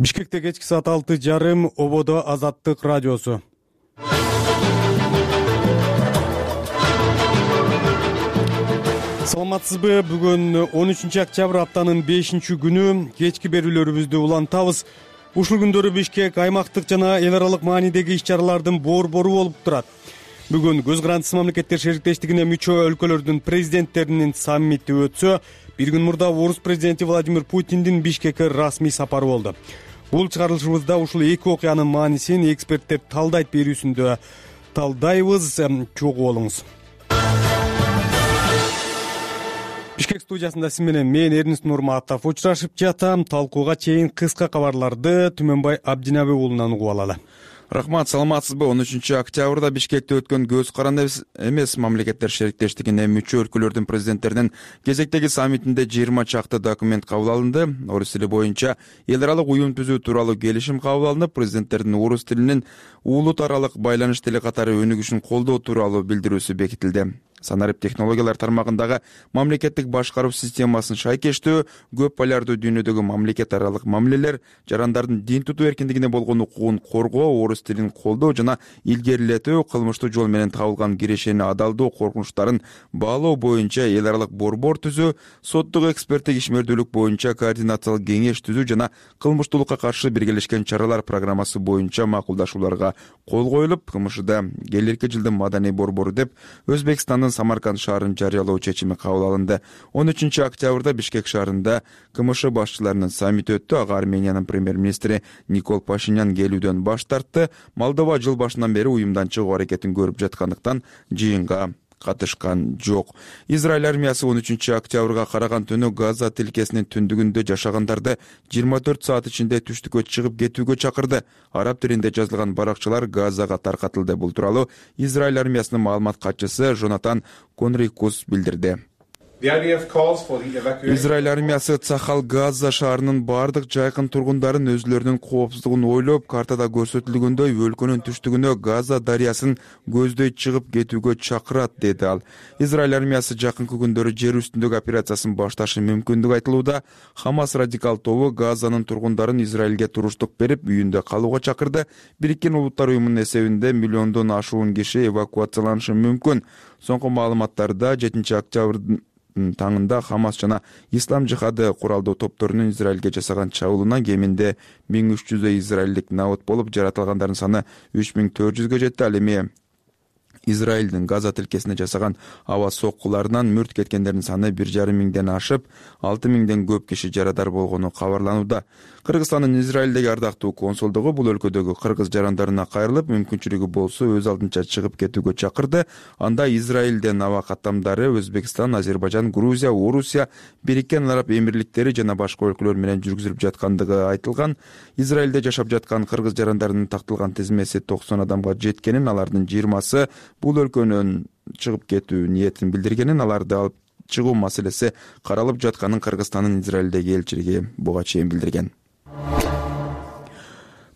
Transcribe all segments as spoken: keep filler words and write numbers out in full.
Бишкекте кечки саат алты жарым, ободо Азаттык радиосу. Саламатсызбы? Бүгүн он үчүнчү октябрь, аптанын бешинчи күнү. Кечки берүүлөрүбүздү улантабыз. Ушул күндөрү Бишкек аймактык жана эл аралык маанидеги иш-чаралардын борбору болуп турат. Бүгүн Көз Карандысыз мамлекеттер шериктештигине мүчө өлкөлөрдүн президенттеринин саммити өтсө, бир күн мурда орус президенти Владимир Путиндин Бишкекке расмий сапары болду. Бул чыгарылышыбызда ушул эки окуянын маанисин эксперттер талдайт берүүсүндө талдайбыз. Чогуу болуңуз. Бишкек студиясында сиз менен мен Эрнис Нурматов учурашып жатам. Талкууга чейин кыска кабарларды Түмөнбай Абдинабек уулунан угуп алалы. Рахмат, саламатсызбы? он үчүнчү октябрда Бишкекте өткөн Көз Карандысыз эмес мамлекеттер шериктештигине мүчө өлкөлөрдүн президенттеринин кезектеги саммитинде жыйырма чакты документ кабыл алынды. Орус тили боюнча эл аралык уюм түзүү тууралуу келишим кабыл алынып, президенттердин орус тилинин улут аралык байланыш тили катары өнүгүшүн колдоо тууралуу билдирүүсү бекитилди. Санарип технологиялар тармагындагы мамлекеттик башкаруу системасын шайкештөө, көп полярдуу дүйнөдөгү мамлекет аралык мамилелер, жарандардын дин тутуу эркиндигине болгон укугун коргоо, орус тилин колдоо жана илгерилетүү, кылмыштуу жол менен табылган кирешени адалдоо коркунучтарын баалоо боюнча эл аралык борбор түзүү, соттук эксперттик ишмердүүлүк боюнча координациялык кеңеш түзүү жана кылмыштуулукка каршы биргелешкен чаралар программасы боюнча макулдашууларга кол коюлуп, КМШда келерки жылдын маданий борбору деп Өзбекстандын Самарканд шаарын жарыялоо чечими кабыл алынды. он үчүнчү октябрда Бишкек шаарында КМШ башчыларынын саммити өттү. Ага Армениянын премьер-министри Никол Пашинян келүүдөн баш тартты. Молдова жыл башынан бери уюмдан чыгуу аракетин көрүп жаткандыктан жыйынга катышкан жок. Израиль армиясы он үчүнчү октябрга караган түнү Газа тилкесинин түндүгүндө жашагандарды жыйырма төрт саат ичинде түштүккө чыгып кетүүгө чакырды. Араб тилинде жазылган баракчалар Газага таркатылды. Бул тууралуу Израиль армиясынын маалымат катчысы Жонатан Конрикус билдирди. Израиль армиясы Цахал Газа шаарынын бардык жайкын тургундарын өзүлөрүнүн коопсуздугун ойлоп, картада көрсөтүлгөндөй өлкөнүн түштүгүнө Газа дарыясын көздөй чыгып кетүүгө чакырат, деди ал. Израиль армиясы жакынкы күндөрү жер үстүндөгү операциясын башташы мүмкүндүгү айтылууда. Хамас радикал тобу Газанын тургундарын Израилге туруштук берип, үйүндө калууга чакырды. Бириккен Улуттар уюмунун эсебинде миллиондон ашуун киши эвакуацияланышы мүмкүн. Соңку маалыматтарда жетинчи октябрдын таңында Хамас жана Ислам жихады куралдуу топторунун Израилге жасаган чабуулунан кеминде миң үч жүздөй израилдик набыт болуп, жаратылгандардын саны үч миң төрт жүзгө жетти. Ал эми Израилдин Газа тилкесине жасаган аба соккуларынан мүрт кеткендердин саны бир жарым миңден ашып, алты миңден көп киши жарадар болгону кабарланууда. Кыргызстандын Израилдеги ардактуу консулдугу бул өлкөдөгү кыргыз жарандарына кайрылып, мүмкүнчүлүгү болсо өз алдынча чыгып кетүүгө чакырды. Анда Израилден аба каттамдары Өзбекстан, Азербайжан, Грузия, Орусия, Бириккен Араб Эмирликтери жана башка өлкөлөр менен жүргүзүлүп жаткандыгы айтылган. Израилде жашап жаткан кыргыз жарандарынын тактылган тизмеси токсон адамга жеткенин, алардын жыйырмасы бул өлкөнүн чыгып кетүү ниетин билдиргенин, аларды алып чыгуу маселеси каралып жатканын Кыргызстандын Израилдеги элчилиги буга чейин билдирген.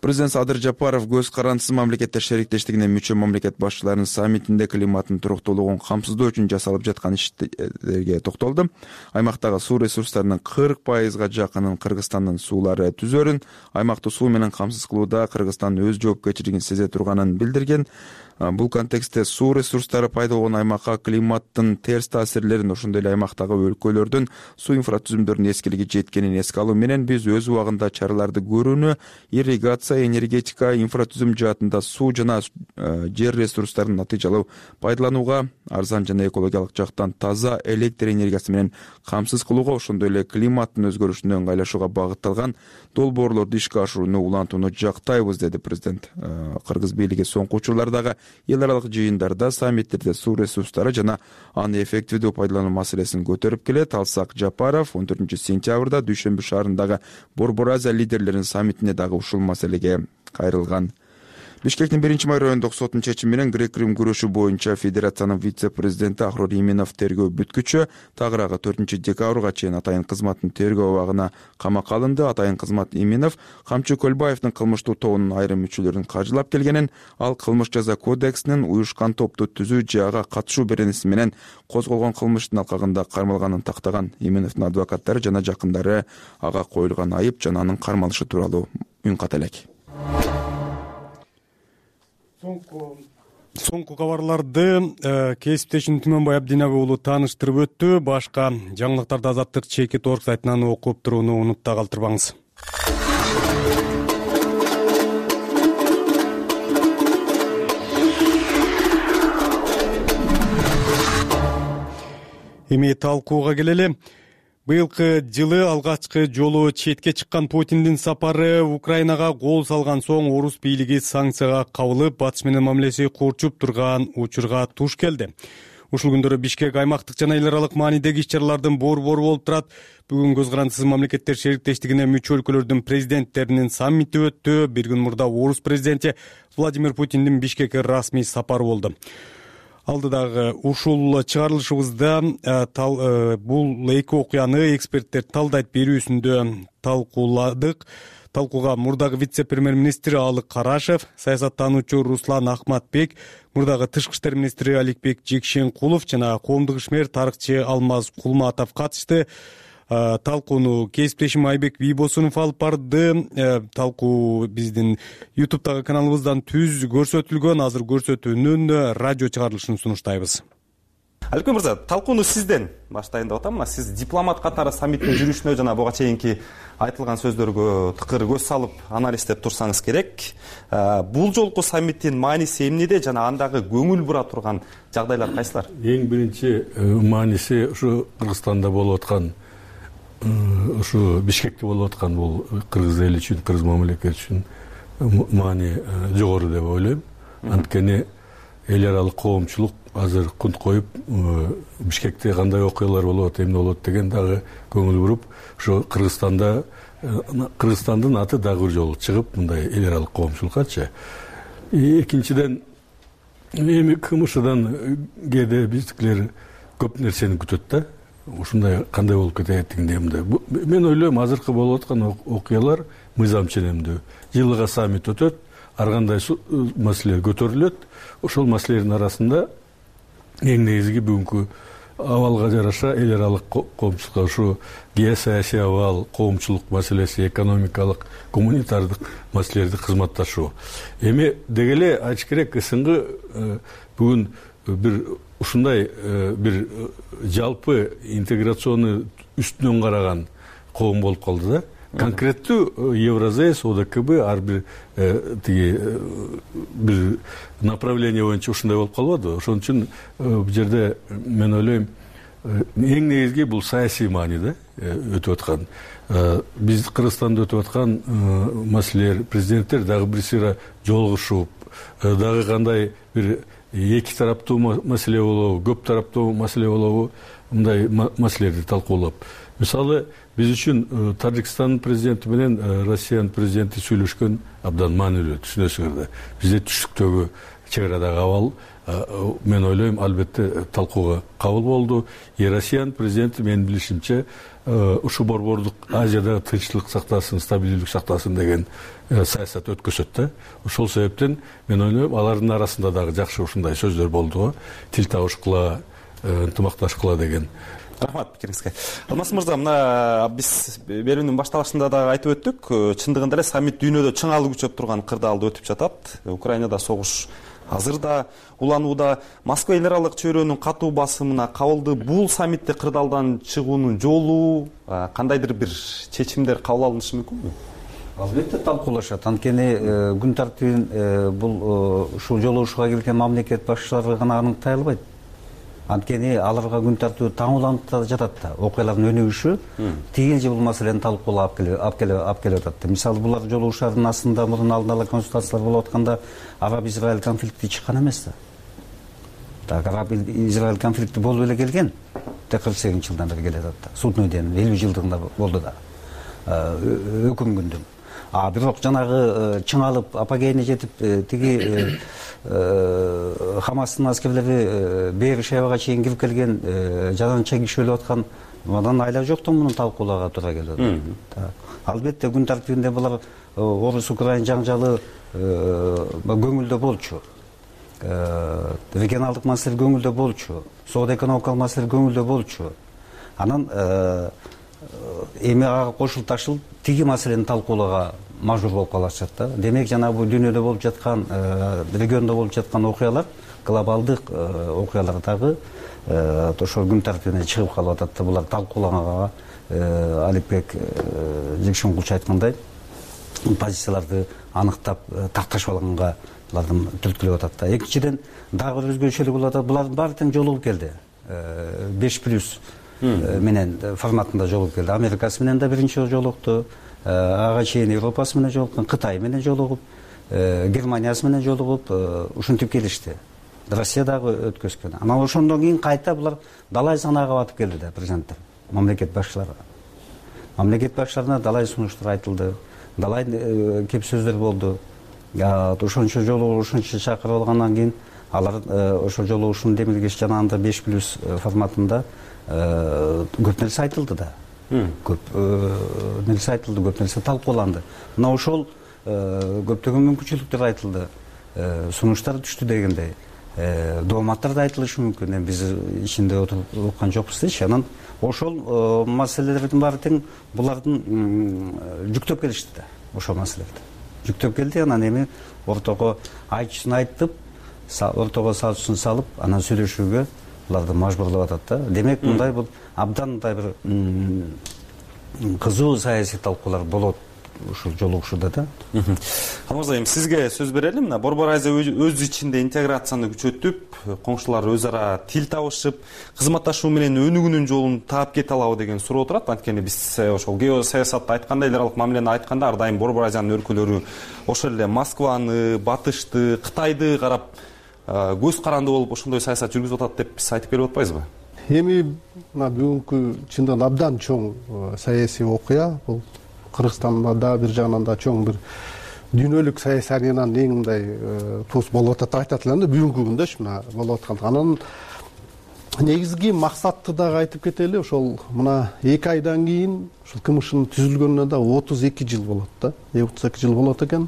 Президент Садыр Жапаров Көз Карандысыз мамлекеттер шериктештигине мүчө мамлекет башчыларынын саммитинде климаттын туруктуулугун камсыздоо үчүн жасалып жаткан иштерге токтолду. Аймактагы суу ресурстарынын кырк пайызга жакынын Кыргызстандын суулары түзөрүн, аймакты суу менен камсыз кылууда Кыргызстан өз жоопкерчилигин сезе турганын билдирген. Бул контекстте суу ресурстары пайда болгон аймакка климаттын терс таасирлерин, ошондой эле аймактагы өлкөлөрдүн суу инфраструктурунун эскилиги жеткенин эске алуу менен биз өз убагында чараларды көрүүнү, ирригация, энергетика, инфратүзүм жаатында суу жана жер ресурстарын натыйжалуу пайдаланууга, арзан жана экологиялык жактан таза электр энергиясы менен камсыз кылууга, ошондой эле климаттын өзгөрүшүнө ыңгайлашууга багытталган долбоорлорду ишке ашырууну улантууну жактайбыз, деди президент. Кыргыз бийлиги соңку учурлардагы эл аралык жыйындарда, саммиттерде суу ресурстары жана аны эффективдүү пайдалануу маселесин көтөрүп келет. Алсак Жапаров он төртүнчү сентябрда Дүйшөмбү шаарындагы Борбор Азия лидерлеринин саммитине дагы ушул маселеге кайрылган. Бишкектин биринчи май райондук сотунун чечими менен грек-рим күрөшү боюнча федерациянын вице-президенти Ахрор Иминов тергөө бүткүчү. Тагыраагы төртүнчү декабрга чейин атайын кызматтын тергөө абагына камакка алынды. Атайын кызмат Иминов Камчы Көлбаевдин кылмыштуу тобунун айрым мүчөлөрүн кажылап келгенин, ал кылмыш жаза кодексинин уюшкан топту түзүү же ага катышуу беренеси менен козголгон кылмыштын алкагында кармалганын тактаган. Иминовдун адвокаттары жана жакындары ага коюлган айып жана анын кармалышы тууралуу үн ката элек. Соңку кабарларды кесиптешим Түмөнбай Абдинабай уулу тааныштырып өттү. Башка жаңылыктарды Азаттык чекит орг сайтынан окуп турууну унутпа калтырбаңыз. Эми талкууга келели. Быйылкы жылы алгачкы жолу четке чыккан Путиндин сапары Украинага кол салган соң орус бийлиги санкцияга кабылып, Батыш менен мамилеси курчуп турган учурга туш келди. Ушул күндөрү Бишкек аймактык жана эл аралык маанидеги иш-чаралардын борбору болуп турат. Бүгүн көз карандысыз мамлекеттер шериктештигине мүчө өлкөлөрдүн президенттеринин саммити өттү. Бир күн мурда орус президенти Владимир Путиндин Бишкекке расмий сапары болду. Алдыдагы ушул чыгарылышыбызда бул эки окуяны эксперттер талдайт берүүсүндө талкууладык. Талкууга мурдагы вице-премьер-министр Алык Карашев, саясаттануучу Руслан Ахматбек, мурдагы тышкы иштер министри Аликбек Жекшенкулов жана коомдук ишмер тарыхчы Алмаз Кулматов катышты. Талкууну кесиптешим Айбек Бийбосунов алып барды. Талкуу биздин ютубтагы каналыбыздан түз көрсөтүлгөн. Азыр көрсөтүүнүн радио чыгарылышын сунуштайбыз. Аликбек мырза, талкууну сизден баштайын деп атам. Сиз дипломат катары саммиттин жүрүшүнө жана буга чейинки айтылган сөздөргө тыкыр көз салып анализдеп турсаңыз керек. Бул жолку саммиттин мааниси эмнеде жана андагы көңүл бура турган жагдайлар кайсылар? Эң биринчи мааниси ушу Кыргызстанда болуп аткан, ушу Бишкекте болуп аткан бул кыргыз эли үчүн, кыргыз мамлекети үчүн маани жогору деп ойлойм. Анткени эл аралык коомчулук азыр кунт коюп, Бишкекте кандай окуялар болуп атат, эмне болот деген дагы көңүл буруп, ушу Кыргызстанда Кыргызстандын аты дагы бир жолу чыгып, мындай эл аралык коомчулуккачы. Экинчиден, эми КМШдан кээде биздикилер көп нерсени күтөт да. Ушундай кандай болуп кететигинде мындай. Мен ойлойм, азыркы болуп аткан окуялар мыйзам ченемдүү. Жылыга саммит өтөт, ар кандай маселелер көтөрүлөт. Ошол маселелердин арасында эң негизги бүгүнкү абалга жараша эл аралык коомчулукка ушу геосаясий абал, коомчулук маселеси, экономикалык, гуманитардык маселелерди кызматташуу. Эми деги эле айтыш керек, СНГ бүгүн бир ушундай бир жалпы интеграциону үстүнөн караган коом болуп калды да. Конкреттүү Евразес, ОДКБ ар бир тиги бир направление боюнча ушундай болуп калбадыбы? Ошон үчүн бул жерде мен ойлойм, эң негизги бул саясий мааниде өтүп аткан. Биз Кыргызстанда өтүп аткан маселелер, президенттер дагы бир сыйра жолугушуп, дагы кандай бир эки тараптуу маселе болобу, көп тараптуу маселе болобу, мындай маселелерди талкуулап. Мисалы, биз үчүн Тажикстандын президенти менен Россиянын президенти сүйлөшкөн абдан маанилүү, түшүнөсүңөрдө. Бизде түштүктөгү чек арадагы абал, мен ойлойм, албетте талкууга кабыл болду. И Россиянын президенти менин билишимче ушу борбордук Азияда тынччылык сактасын, стабилдүүлүк сактасын деген саясат өткөзөт да. Ошол себептен мен ойлойм, алардын арасында дагы жакшы ушундай сөздөр болду го. Тил табышкыла, ынтымакташкыла деген. Рахмат пикириңизге. Алмаз мырза, мына биз берүүнүн башталышында да айтып өттүк, чындыгында эле саммит дүйнөдө чыңалуу күчөп турган кырдаалды өтүп жатат. Украинада согуш азыр да уланууда. Москва эл аралык чөйрөнүн катуу басымына кабылды. Бул саммитте кырдаалдан чыгуунун жолу, кандайдыр бир чечимдер кабыл алынышы мүмкүнбү? Албетте талкуулашат. Анткени күн тартибин бул ушул жолугушууга келген мамлекет башчылары гана аныктай албайт. Анткени аларга күн тартуу таңууланып да жатат да. Окуялардын өнүгүшү тигил же бул маселени талкуулап алып келип атат. Мисалы, булар жолугушуулардын астында мурун алдын ала консультациялар болуп атканда Араб-Израиль конфликти чыккан эмес да. Так, Араб-Израиль конфликти болуп эле келген. кырк сегизинчи жылдан бери келе жатат да. Судный ден элүү жылдыгында болду да. Өкүм күндүн. А бирок жанагы чыңалып апогейине жетип тиги Хамастын аскерлери Бейер-Шебага чейин кирип келген жаданча киши өлүп аткан, мындан айла жоктон муну талкууларга туура келет. Албетте күн тартибинде булар орус-украин жаңжалы көңүлдө болчу. Регионалдык маселе көңүлдө болчу. Соода экономикалык маселе көңүлдө болчу. Анан эми ага кошулуп ташылып тиги маселени талкуулоого мажбур болуп калышат да. Демек жанагы бул дүйнөдө болуп жаткан, региондо болуп жаткан окуялар, глобалдык окуялар дагы ошол күн тартибине чыгып калып атат да. Булар талкууланганга Алипбек Жекшенгулч айткандай позицияларды аныктап такташып алганга булардын түрткүлөп атат да. Экинчиден дагы бир өзгөчөлүгү болуп атат. Булардын баары тең жолугуп келди. беш плюс менен форматында жолугуп келди. Америкасы менен да биринчи жолукту, ага чейин Европасы менен жолуккан, Кытай менен жолугуп, Германиясы менен жолугуп ушинтип келишти. Россия дагы өткөзгөн. Анан ошондон кийин кайта булар далай санаага батып келди да президенттер, мамлекет башчылары. Мамлекет башчыларына далай сунуштар айтылды, далай кеп сөздөр болду. Ошончо жолу ушунча чакырып алгандан кийин алар ошол жолу ушун демилгеш жанагындай беш плюс форматында көп нерсе айтылды да. Көп нерсе айтылды, көп нерсе талкууланды. Мына ошол көптөгөн мүмкүнчүлүктөр айтылды, сунуштар түштү дегендей. Дооматтар да айтылышы мүмкүн. Эми биз ичинде отуруп уккан жокпуз дейчи. Анан ошол маселелердин баары тең булардын жүктөп келишти да. Ошол маселелерди жүктөп келди. Анан эми ортого айтчысын айтып, ортого салчысын салып, анан сүйлөшүүгө буларды мажбурлап атат да. Демек мындай бул абдан мындай бир кызуу саясий талкуулар болот ушул жолугушууда да. Алмаз айым, сизге сөз берели. Мына Борбор Азия өз ичинде интеграцияны күчөтүп, коңшулар өз ара тил табышып, кызматташуу менен өнүгүүнүн жолун таап кете алабы деген суроо турат. Анткени биз ошол геосаясатты айтканда, эл аралык мамилени айтканда ар дайым Борбор Азиянын өлкөлөрү ошол эле Москваны, Батышты, Кытайды карап көз каранды болуп ошондой саясат жүргүзүп атат деп биз айтып келип атпайбызбы? Эми мына бүгүнкү чындыгында абдан чоң саясий окуя. Бул Кыргызстанда да бир жагынан да чоң бир дүйнөлүк саясатынан эң мындай туус болуп атат деп айтат элем да, бүгүнкү күндөчү мына болуп аткан. Анан негизги максатты дагы айтып кетели. Ошол мына эки айдан кийин ушул КМШнын түзүлгөнүнө да отуз эки жыл болот да. отуз эки жыл болот экен.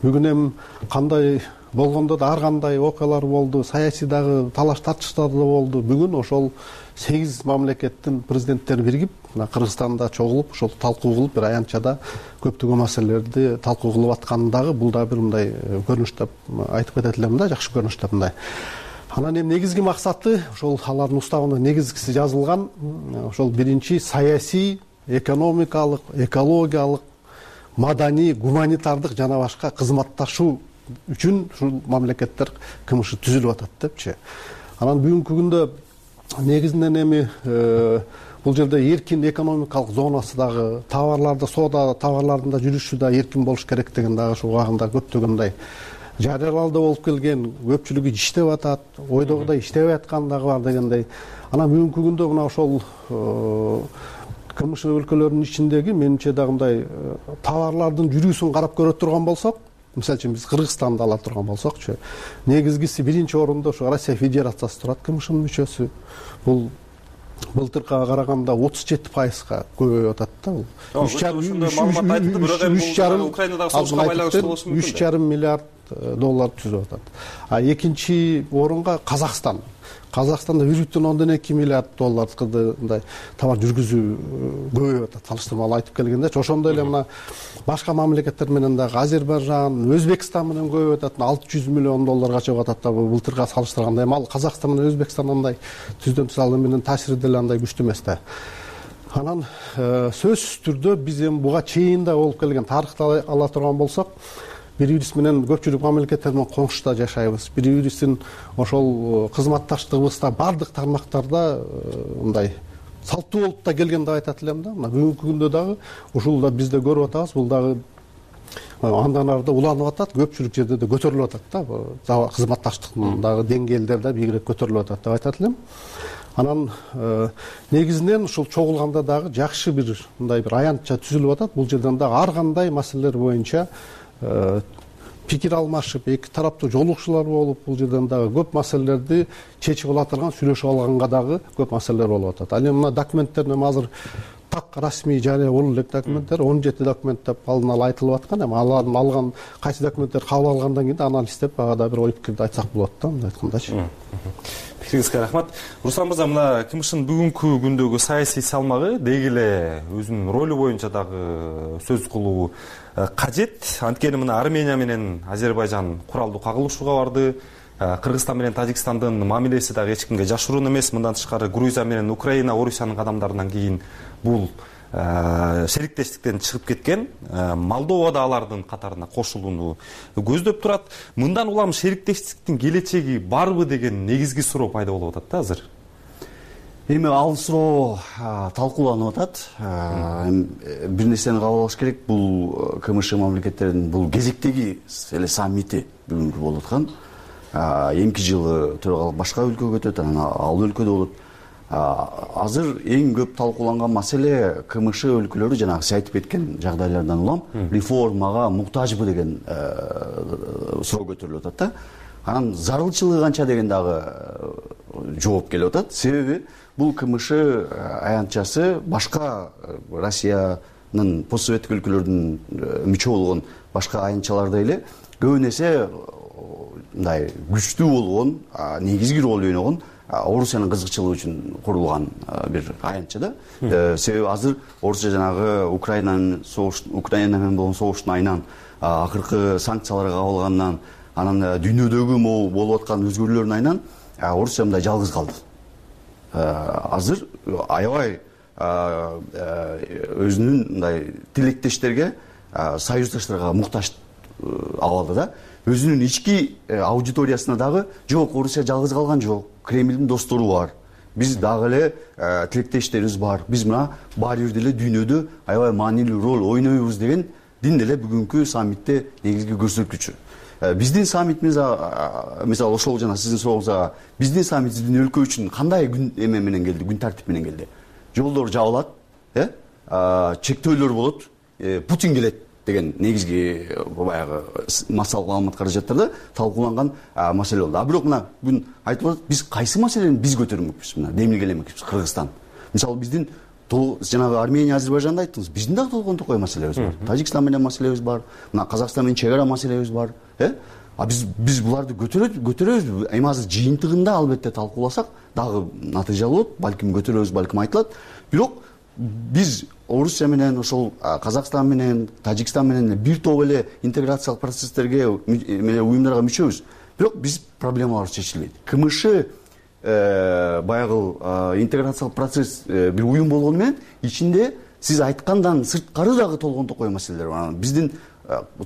Бүгүн эми кандай болгондо да ар кандай окуялар болду, саясий дагы талаш тартыштар да болду. Бүгүн ошол сегиз мамлекеттин президенттери биригип, мына Кыргызстанда чогулуп, ошол талкуу кылып, бир аянтчада көптөгөн маселелерди талкуу кылып атканы дагы бул да бир мындай көрүнүш деп айтып кетет элем да, жакшы көрүнүш деп мындай. Анан эми негизги максаты ошол алардын уставында негизгиси жазылган, ошол биринчи саясий, экономикалык, экологиялык, маданий, гуманитардык жана башка кызматташуу үчүн ушул мамлекеттер КМШ түзүлүп атат депчи. Анан бүгүнкү күндө негизинен эми бул жерде эркин экономикалык зонасы дагы, товарларды, соода товарлардын да жүрүшү да эркин болуш керек деген дагы ушул убагында көптөгөндөй жарыялалды болуп келген, көпчүлүгү иштеп атат, ойдогудай иштебей аткан дагы бар дегендей. Анан бүгүнкү күндө мына ошол КМШ өлкөлөрүнүн ичиндеги менимче дагы мындай товарлардын жүрүүсүн карап көрө турган болсок, мисалы үчүн биз Кыргызстанды ала турган болсокчу, негизгиси биринчи орунда ошо Россия Федерациясы турат, КМШнын мүчөсү. Бул былтыркыга караганда отуз жети пайызга көбөйүп атат да. Бул үч жарым миллиард доллар түзүп атат. А экинчи орунга Казакстан. Казакстанда бир бүтүн ондон эки миллиард доллардай товар жүргүзүү көбөйүп атат. Салыштырмалуу айтып келгенде, ошондой эле мына башка мамлекеттер менен дагы Азербайжан, Өзбекстан менен көбөйүп атат. алты жүз миллион долларга чыгып атат да, былтырга салыштырганда. Эми ал Казакстан менен Өзбекстан андай түздөн тышалы менен таасири деле андай күчтүү эмес да. Анан сөзсүз түрдө биз эми буга чейин да болуп келген тарыхты ала турган болсок, бири бирибиз менен көпчүлүк мамлекеттер менен коңшуда жашайбыз. Бири бирибиздин ошол кызматташтыгыбызда бардык тармактарда мындай салттуу болуп да келген деп айтат элем да. Мына бүгүнкү күндө дагы ушул да бизде көрүп атабыз, бул дагы андан арда уланып атат, көпчүлүк жерде да көтөрүлүп атат да. Кызматташтыктын дагы деңгээлдери да бийигирээк көтөрүлүп атат деп айтат элем. Анан негизинен ушул чогулганда дагы жакшы бир мындай бир аянтча түзүлүп атат. Бул жерден дагы ар кандай маселелер боюнча пикир алмашып, эки тараптуу жолугушуулар болуп, бул жерден дагы көп маселелерди чечип ала турган, сүйлөшүп алганга дагы көп маселелер болуп атат. Ал эми мына документтерин эми азыр так расмий жарыя боло элек документтер он жети документ деп алдын ала айтылып аткан. Эми аларды алган кайсы документтер кабыл алгандан кийин анализдеп багада бир ой пикирди айтсак болот да, мындай айткандачы. Пикириңизге рахмат. Руслан мырза, мына КМШнын бүгүнкү күндөгү саясий салмагы деги эле өзүнүн ролу боюнча дагы сөз кылуу кажет. Анткени мына Армения менен Азербайжан куралдуу кагылышууга барды. Кыргызстан менен Тажикстандын мамилеси дагы эч кимге жашыруун эмес. Мындан тышкары Грузия менен Украина, Орусиянын кадамдарынан кийин бул шериктештиктен чыгып кеткен. Молдова да алардын катарына кошулууну көздөп турат. Мындан улам шериктештиктин келечеги барбы деген негизги суроо пайда болуп атат да азыр. Эми ал суроо талкууланып атат. Бир нерсени кабыл алыш керек, бул КМШ мамлекеттеринин бул кезектеги эле саммити бүгүнкү болуп аткан. Эмки жылы төрагалык башка өлкөгө өтөт, анан ал өлкөдө болот. Азыр эң көп талкууланган маселе КМШ өлкөлөрү жанагы сиз айтып кеткен жагдайлардан улам реформага муктажбы деген суроо көтөрүлүп атат да. Анан зарылчылыгы канча деген дагы жооп келип атат. Себеби бул КМШ аянтчасы башка Россиянын постсоветтик өлкөлөрдүн мүчө болгон башка аянтчалардай эле көбүн эсе мындай күчтүү болгон, негизги роль ойногон Орусиянын кызыкчылыгы үчүн курулган бир аянтча да. Себеби азыр Орусия жанагы Украинанын согуш Украина менен болгон согуштун айынан акыркы санкциялар кабылгандан, анан дүйнөдөгү могу болуп аткан өзгөрүүлөрдүн айынан Орусия мындай жалгыз калды. Азыр аябай өзүнүн мындай тилектештерге, союздаштарга муктаж абалда да. Өзүнүн ички аудиториясына дагы жок, Орусия жалгыз калган жок. Кремлдин достору бар. Биз дагы эле тилектештерибиз бар. Биз мына баары бир деле дүйнөдө аябай маанилүү роль ойнойбуз деген дин деле бүгүнкү саммитте негизги көрсөткүчү. Биздин саммитибиз мисалы ошол жана сиздин сурооңузга биздин саммитибиздин өлкө үчүн кандай күн эме менен келди, күн тартип менен келди. Жолдор жабылат, э? Чектөөлөр болот, Путин келет деген негизги баягы массалык маалымат каражаттарда талкууланган маселе болду. А бирок мына бүгүн айтылып атат, биз кайсы маселени биз көтөрмөкпүз, мына демилгелемекпиз Кыргызстан. Мисалы биздин жанагы Армения, Азербайжанды айттыңыз, биздин дагы толгон токой маселебиз бар. Тажикстан менен маселебиз бар, мына Казакстан менен чек ара маселебиз бар, э? А биз биз буларды көтөрөбүз, көтөрөбүз. Эми азыр жыйынтыгында албетте талкууласак, дагы натыйжа болот, балким көтөрөбүз, балким айтылат. Бирок биз Орусия менен, ошол Казакстан менен, Тажикстан менен бир топ эле интеграциялык процесстерге менен уюмдарга мүчөбүз. Бирок биз проблемалар чечилбейт. КМШ баягы интеграциялык процесс бир уюм болгону менен ичинде сиз айткандан сырткары дагы толгон токой маселелер бар. Биздин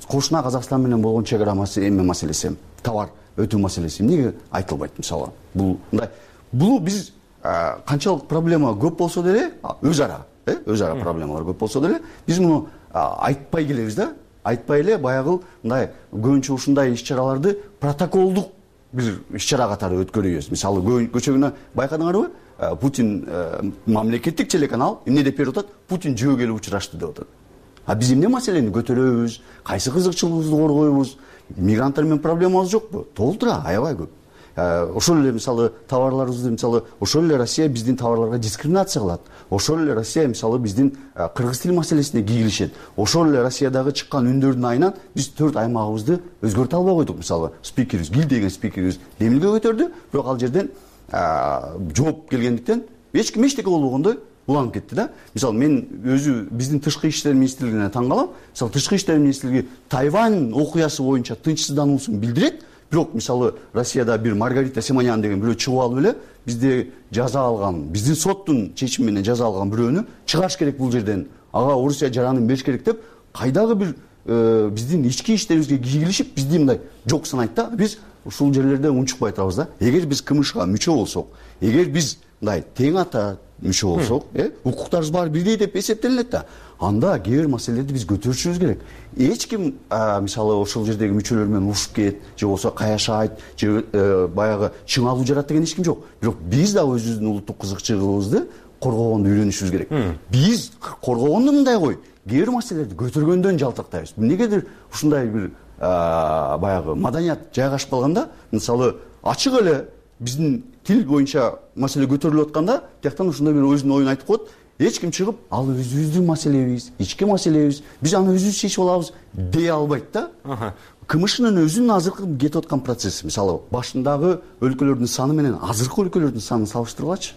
кошуна Казакстан менен болгон чек ара эме маселеси, товар өтүү маселеси эмнеге айтылбайт мисалы? Бул мындай, бул биз канчалык проблема көп болсо деле өз ара, э, өз ара проблемалар көп болсо деле биз муну айтпай келебиз да. Айтпай эле баягы мындай көбүнчө ушундай иш-чараларды протоколдук бир иш-чара катары өткөрүбүз. Мисалы көчөгүнө байкадыңарбы? Путин мамлекеттик телеканал эмне деп берип атат? Путин жөө келип учурашты деп атат. А биз эмне маселени көтөрөбүз? Кайсы кызыкчылыгыбызды коргойбуз? Мигранттар менен проблемабыз жокпу? Толтура, аябай көп. Ошол эле мисалы товарларыбызды мисалы ошол эле Россия биздин товарларга дискриминация кылат. Ошол эле Россия мисалы биздин кыргыз тил маселесине кийгилишет. Ошол эле Россиядагы чыккан үндөрдүн айынан биз төрт аймагыбызды өзгөртө албай койдук. Мисалы спикерибиз, Гил деген спикерибиз демилге көтөрдү, бирок ал жерден жооп келгендиктен эч ким эчтеке болбогондой уланып кетти да. Мисалы мен өзү биздин тышкы иштер министрлигине таң калам. Мисалы тышкы иштер министрлиги Тайвань окуясы боюнча тынчсыздануусун билдирет. Бирок мисалы Россияда бир Маргарита Симонян деген бирөө чыгып алып эле бизди жаза алган, биздин соттун чечими менен жаза алган бирөөнү чыгарыш керек бул жерден. Ага Орусия жаранын бериш керек деп кайдагы бир биздин ички иштерибизге кийгилишип бизди мындай жок санайт да. Биз ушул жерлерде унчукпай турабыз да. Эгер биз КМШга мүчө болсок, эгер биз мындай тең ата мүчө болсок, э, укуктарыбыз баары бирдей деп эсептелинет да. Анда кээ бир маселелерди биз көтөрүшүбүз керек. Эч ким мисалы ошол жердеги мүчөлөр менен урушуп кет, же болбосо каяшайт, же баягы чыңалуу жарат деген эч ким жок. Бирок биз да өзүбүздүн улуттук кызыкчылыгыбызды коргогонду үйрөнүшүбүз керек. Биз коргогонду мындай кой, кээ бир маселелерди көтөргөндөн жалтыртайбыз. Эмнегедир ушундай бир баягы маданият жайгашып калганда, мисалы ачык эле биздин тил боюнча маселе көтөрүлүп атканда, тияктан ушундай бир өзүнүн оюн айтып коет. эч ким чыгып ал өзүбүздүн маселебиз, ички маселебиз, биз аны өзүбүз чечип алабыз дей албайт да. КМШнын өзүнүн азыркы кетип аткан процесси, мисалы башындагы өлкөлөрдүн саны менен азыркы өлкөлөрдүн санын салыштыргылачы.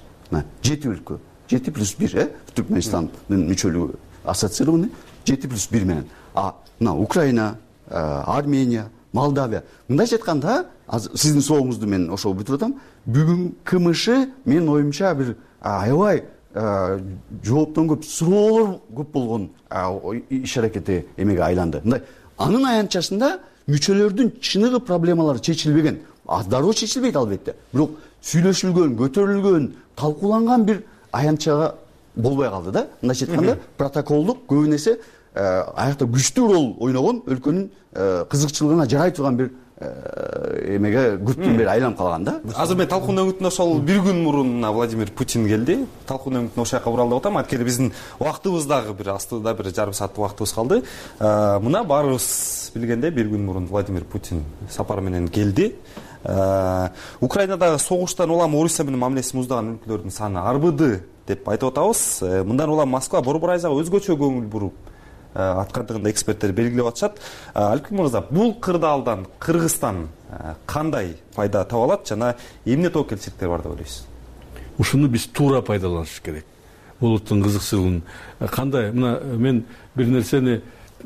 жети өлкө, жети плюс бир, э, Түркмөнстандын мүчөлүгү ассоциированный жети плюс бир менен. А мына Украина, Армения, Молдавия. Мындайча айтканда, сиздин суроолуңузду мен ошол бүтүп атам. Бүгүн КМШ менин оюмча бир аябай жооптон көп суроолор көп болгон иш аракети эмеге айланды. Мындай анын аянтчасында мүчөлөрдүн чыныгы проблемалары чечилбеген. Дароо чечилбейт албетте. Бирок сүйлөшүлгөн, көтөрүлгөн, талкууланган бир аянтчага болбой калды да. Мындайча айтканда, протоколдук көбүн эсе аякта күчтүү рол ойногон өлкөнүн кызыкчылыгына жарай турган бир эмеге күттүн бери айланып калган да. Азыр мен талкуунун өңүтүнө ошол бир күн мурун Владимир Путин келди. Талкуунун өңүтүнө ошол жака уралды деп атам. Анткени биздин убактыбыз дагы бир астыда бир жарым сааттык убактыбыз калды. Мына баарыбыз билгендей бир күн мурун Владимир Путин сапар менен келди. Украинадагы согуштан улам Орусия менен мамилеси муздаган өлкөлөрдүн саны арбыды деп айтып атабыз. Мындан улам Москва Борбор Айзага өзгөчө көңүл буруп аткандыгын эксперттер белгилеп атышат. Аликбек мырза, бул кырдаалдан Кыргызстан кандай пайда таба алат жана эмне тобокелчиликтер бар деп ойлойсуз? Ушуну биз туура пайдаланышыбыз керек. Улуттун кызыкчылыгын кандай, мына мен бир нерсени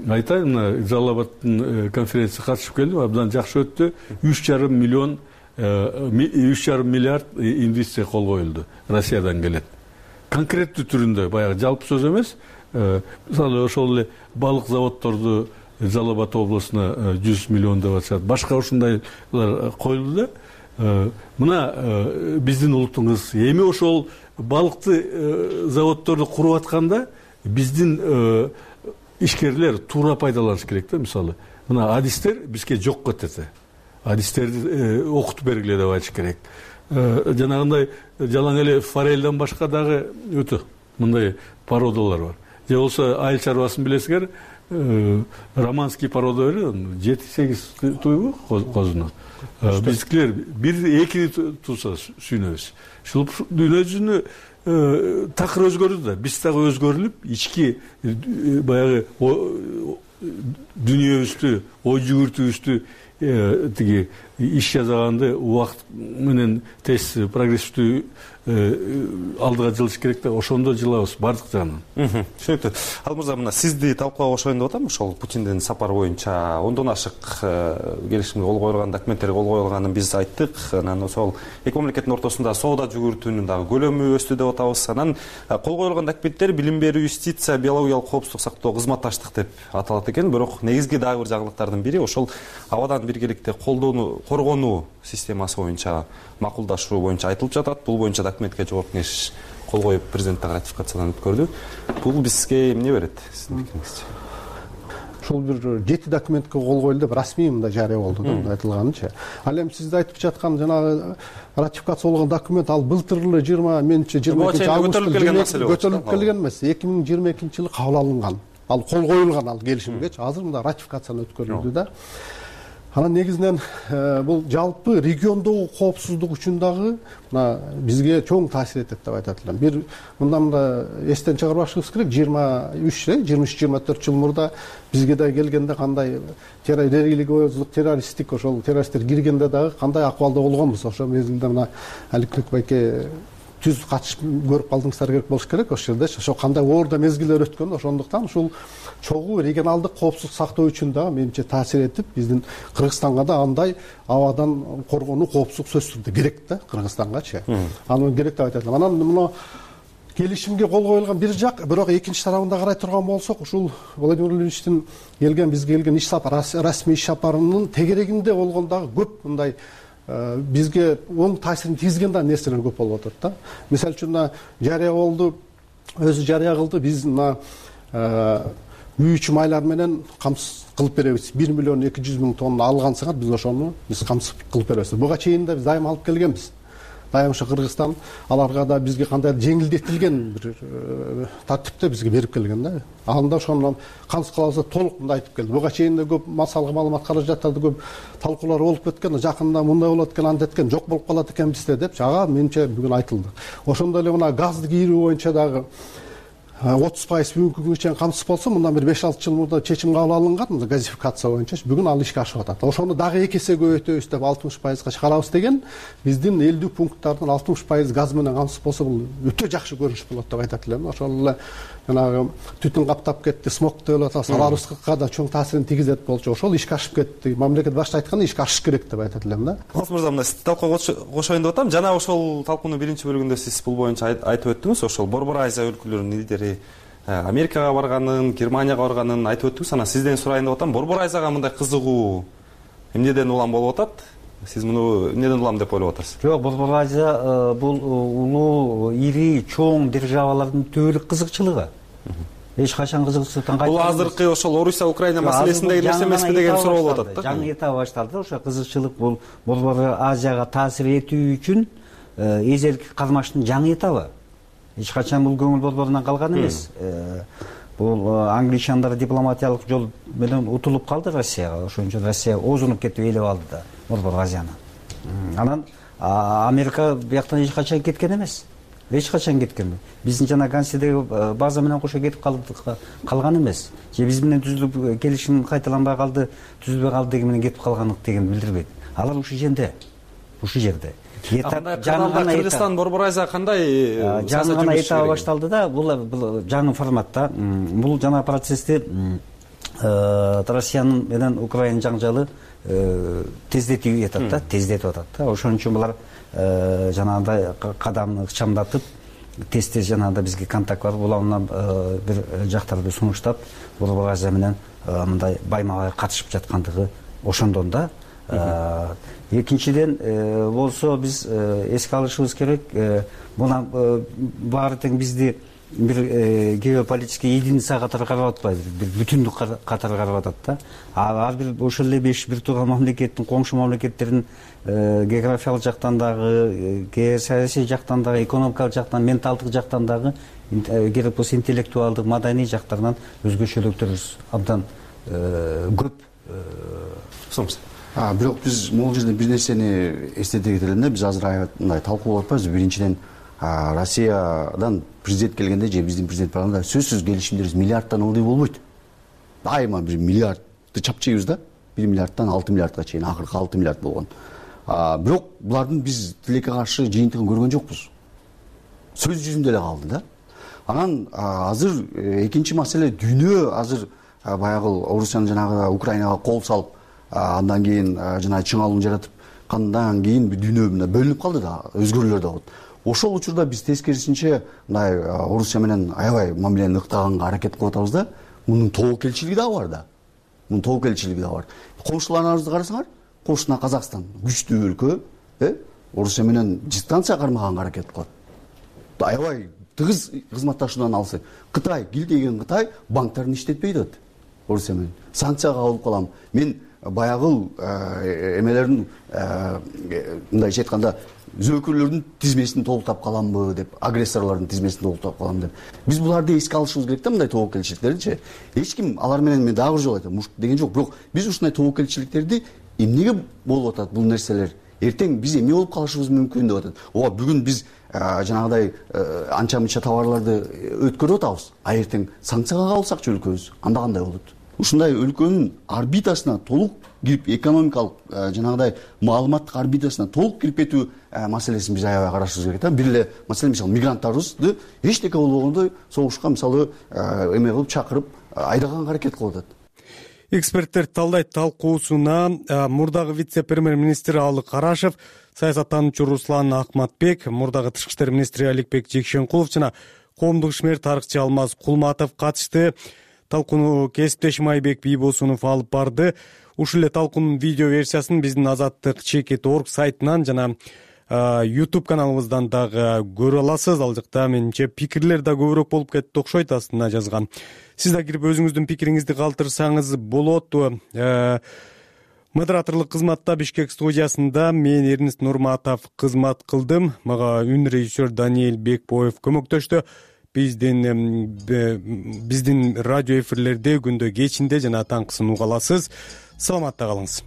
айтайын, мына Жалал Абадтын конференцияга катышып келдим, абдан жакшы өттү. үч жарым миллион үч жарым миллиард инвестиция кол коюлду. Россиядан келет. Конкреттүү түрүндө, баягы жалпы сөз эмес. Мисалы ошол эле балык заводдорду Жалал Абад областына жүз миллион деп атышат. Башка ушундайлар коюлду да. Мына биздин улуттун кызы эми ошол балыкты заводдорду куруп атканда биздин ишкерлер туура пайдаланыш керек да. Мисалы мына адистер бизге жок кетет. Адистерди окутуп бергиле деп айтыш керек. Жанагындай жалаң эле форельден башка дагы өтө мындай породалар бар. Же болсо айыл чарбасын билесиңер, романский порода берет, жети сегиз туйгу козунан. Биздикилер бир эки туса сүйнөбүз. Ушул дүйнө жүзүнө такыр өзгөрдү да, биз дагы өзгөрүлүп, ички баягы дүнүйөбүздү, ой жүгүртүүбүздү тиги иш жасаганды убакыт менен тез прогрессивдүү алдыга жылыш керек да, ошондо жылабыз бардык жагынан. Түшүнүктүү. Ал мырза, мына сизди талкууга кошоюн деп атам. Ошол Путиндин сапары боюнча ондон ашык келишимге кол коюлган, документтерге кол коюлганын биз айттык. Анан ошол эки мамлекеттин ортосунда соода жүгүртүүнүн дагы көлөмү өстү деп атабыз. Анан кол коюлган документтер билим берүү, юстиция, биологиялык коопсуздук сактоо, кызматташтык деп аталат экен. Бирок негизги дагы бир жагылыктардын бири ошол абадан биргеликте колдоону, коргонуу системасы боюнча макулдашуу боюнча айтылып жатат. Бул боюнча документке жогорку кеңеш кол коюп президенттик ратификациядан өткөрдү. Бул бизге эмне берет сиздин пикириңизче? Ушул бир жети документке кол коюлду деп расмий мындай жарыя болду да, айтылганынча. Ал эми сиз айтып жаткан жанагы ратификация болгон документ ал былтыр эле жыйырма менче жыйырма экинчи августта көтөрүлүп келген эмес, эки миң жыйырма экинчи жылы кабыл алынган. Ал кол коюлган ал келишимгечи. Азыр мында ратификациядан өткөрүлдү да. Анан негизинен бул жалпы региондогу коопсуздук үчүн дагы мына бизге чоң таасир этет деп айтат элем. Бир мындан мында эстен чыгарбашыбыз керек, жыйырма үч, жыйырма үч жыйырма төрт жыл мурда бизге да келгенде кандай религиозлук, террористтик ошол террористтер киргенде дагы кандай акыбалда болгонбуз. Ошол мезгилде мына Аликбек байке түз катышып көрүп калдыңыздар керек болуш керек ошол жердечи. Ошо кандай оорда мезгилдер өткөн, ошондуктан ушул чогуу регионалдык коопсуздук сактоо үчүн дагы менимче таасир этип, биздин Кыргызстанга да андай абадан коргонуу коопсуздук сөзсүз түрдө керек да, Кыргызстангачы. Аны керек деп айтат элем. Анан мына келишимге кол коюлган бир жак, бирок экинчи тарабында карай турган болсок, ушул Владимир Владимировичтин келген бизге келген иш сапар, расмий иш сапарынын тегерегинде болгон дагы көп мындай бизге оң таасирин тийгизген да нерселер көп болуп атат да. Мисалы үчүн мына жарыя болду, өзү жарыя кылды, биз мына мүйүчү майлар менен камсыз кылып беребиз. бир миллион эки жүз миң тонна алгансыңар, биз ошону биз камсыз кылып беребиз. Буга чейин да биз дайым алып келгенбиз. Дайым ошо Кыргызстан аларга да бизге кандай жеңилдетилген бир тартипте бизге берип келген да. Анда ошондон камсыз кылабыз толук мындай айтып келди. Буга чейин да көп массалык маалымат каражаттарды көп талкуулар болуп кеткен, жакында мындай болот экен, анда эткен, жок болуп калат экен бизде депчи. Ага менимче бүгүн айтылды. Ошондой эле мына газды кийрүү боюнча дагы отуз пайыз бүгүнкү күнгө чейин камсыз болсо, мындан бир беш алты жыл мурда чечим кабыл алынган мына газификация боюнча. Бүгүн ал ишке ашып атат. Ошону дагы эки эсе көбөйтөбүз деп алтымыш пайызга чыгарабыз деген биздин элүү пункттардын алтымыш пайыз газ менен камсыз болсо, бул өтө жакшы көрүнүш болот деп айтат элем. Ошол эле жанагы түтүн каптап кетти, смог деп атабыз, аларыбызга да чоң таасирин тийгизет болчу. Ошол ишке ашып кетти. Мамлекет башчы айткандай ишке ашыш керек деп айтат элем да. Алмаз мырза, мына сизди талкууга кошоюн деп атам. Жана ошол талкуунун биринчи бөлүгүндө сиз бул боюнча айтып өттүңүз. Ошол Борбор Азия өлкөлөрүнүн лидери Америкага барганын, Германияга барганын айтып өттүңүз. Анан сизден сурайын деп атам. Борбор Азияга мындай кызыгуу эмнеден улам болуп атат? Сиз муну эмнеден улам деп ойлоп атасыз? Жок, Борбор Азия бул улуу, ири, чоң державалардын түбөлүк кызыкчылыгы. Эч качан кызыкчылыктан кайтпаган. Бул азыркы ошол Орусия, Украина маселесиндеги нерсе эмеспи деген суроо болуп атат да. Жаңы этап башталды. Ошо кызыкчылык бул Борбор Азияга таасир этүү үчүн эзелки кармаштын жаңы этабы. Эч качан бул көңүл борборунан калган эмес. Бул англичандар дипломатиялык жол менен утулуп калды Россияга. Ошон үчүн Россия озунуп кетип ээлеп алды да Борбор Азияны. Анан Америка бияктан эч качан кеткен эмес. Эч качан кеткен. Биздин жана Ганседеги база менен кошо кетип калган эмес. Же биз менен түзүлүп келишим кайталанбай калды, түзүлбөй калды деген менен кетип калганлык деген билдирбейт. Алар ушул жерде. Ушул жерде. Кыргызстан Борбор Азия кандай жаңы гана этабы башталды да, бул жаңы форматта. Бул жана процессти Россиянын менен Украина жаңжалы тездетип атат да, тездетип атат да. Ошон үчүн булар жанагындай кадамды ыкчамдатып, тез-тез жанагындай бизге контакт бар, булардан бир жактарды сунуштап, Борбор Азия менен мындай байма-бай катышып жаткандыгы ошондон да. Экинчиден болсо биз эске алышыбыз керек, мына баары тең бизди бир геополитический единица катары карап атпайбы, бир бүтүндүк катары карап атат да. Ар бир ошол эле беш бир тууган мамлекеттин, коңшу мамлекеттердин географиялык жактан дагы, геосаясий жактан дагы, экономикалык жактан, менталдык жактан дагы, керек болсо интеллектуалдык, маданий жактарынан өзгөчөлүктөрүбүз абдан көп. А бирок биз могул жерде бир нерсени эстете кетелим да. Биз азыр мындай талкуу кылып атпайбызбы? Биринчиден, Россиядан президент келгенде же биздин президент барганда сөзсүз келишимдерибиз миллиардтан ылдый болбойт. Дайыма бир миллиардты чапчайбыз да. бир миллиардтан алты миллиардка чейин, акыркы алты миллиард болгон. Бирок булардын биз тилекке каршы жыйынтыгын көргөн жокпуз. Сөз жүзүндө эле калды да. Анан азыр экинчи маселе, дүйнө азыр баягы Орусиянын жанагы Украинага кол салып, андан кийин жана чыңалууну жаратып, кандан кийин дүйнө мына бөлүнүп калды да, өзгөрүүлөр да болот. Ошол учурда биз тескерисинче мындай Орусия менен аябай мамилени ыктаганга аракет кылып атабыз да. Мунун тобокелчилиги дагы бар да. Мунун тобокелчилиги дагы бар. Коңшуларыбызды карасаңар, кошуна Казакстан күчтүү өлкө, э, Орусия менен дистанция кармаганга аракет кылат. Аябай тыгыз кызматташуудан алсы. Кытай, килдеген Кытай банктарын иштетпей атат Орусия менен. Санкцияга алып калам. Мен баягыл эмелердин мындайча айтканда зөөкүрлөрдүн тизмесин толуктап каламбы деп, агрессорлордун тизмесин толуктап калам деп. Биз буларды эске алышыбыз керек да, мындай тобокелчиликтердичи. Эч ким алар менен мен дагы бир жолу айтам, муш деген жок. Бирок биз ушундай тобокелчиликтерди эмнеге болуп атат бул нерселер? Эртең биз эмне болуп калышыбыз мүмкүн деп атат. Ооба, бүгүн биз жанагыдай анча-мынча товарларды өткөрүп атабыз, а эртең санкцияга кабылсакчы өлкөбүз, анда кандай болот? Ушундай өлкөнүн орбитасына толук кирип, экономикалык жанагыдай маалыматтык орбитасына толук кирип кетүү маселесин биз аябай карашыбыз керек да. Бир эле маселе, мисалы, мигранттарыбызды эчтеке болбогондой согушка, мисалы, эме кылып чакырып айдаганга аракет кылып атат. Эксперттер талдайт талкуусуна мурдагы вице-премьер-министр Алы Карашев, саясаттануучу Руслан Акматбек, мурдагы тышкы иштер министри Аликбек Жекшенкулов жана коомдук ишмер тарыхчы Алмаз Кулматов катышты. Талкууну кесиптешим Айбек Бийбосунов алып барды. Ушул эле талкуунун видео версиясын биздин Азаттык чекит точка орг сайтынан жана YouTube каналыбыздан дагы көрө аласыз. Ал жакта менимче пикирлер да көбүрөөк болуп кетти окшойт, астына жазган. Сиз да кирип өзүңүздүн пикириңизди калтырсаңыз болот. Модераторлук кызматта Бишкек студиясында мен Эрнест Нурматов кызмат кылдым. Мага үн режиссер Даниэль Бекбоев көмөктөштү. Биздин биздин радио эфирлерде күндө кечинде жана таңкысын уга аласыз. Саламатта калыңыз.